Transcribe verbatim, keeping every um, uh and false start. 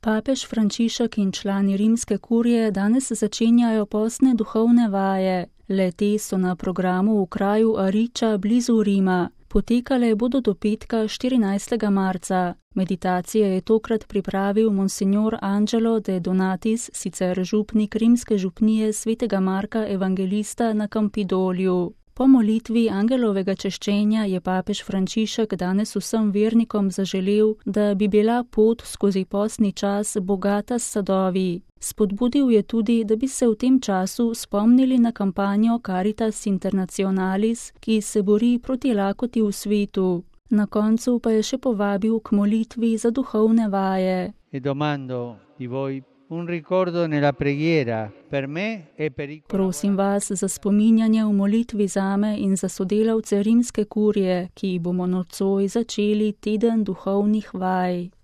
Papež Frančišek in člani rimske kurije danes začenjajo postne duhovne vaje. Le-te so na programu v kraju Ariča blizu Rima. Potekale bodo do petka štirinajstega marca. Meditacije je tokrat pripravil monsignor Angelo de Donatis, sicer župnik rimske župnije svetega Marka Evangelista na Campidolju. Po molitvi angelovega češčenja je papež Frančišek danes vsem vernikom zaželel, da bi bila pot skozi postni čas bogata s sadovi. Spodbudil je tudi, da bi se v tem času spomnili na kampanjo Caritas Internationalis, ki se bori proti lakoti v svetu. Na koncu pa je še povabil k molitvi za duhovne vaje. E domando di voi un ricordo nella preghiera per me e per i Prosim vas za spominjanje v molitvi zame in za sodelavce rimske kurije, ki bomo nocoj začeli teden duhovnih vaj.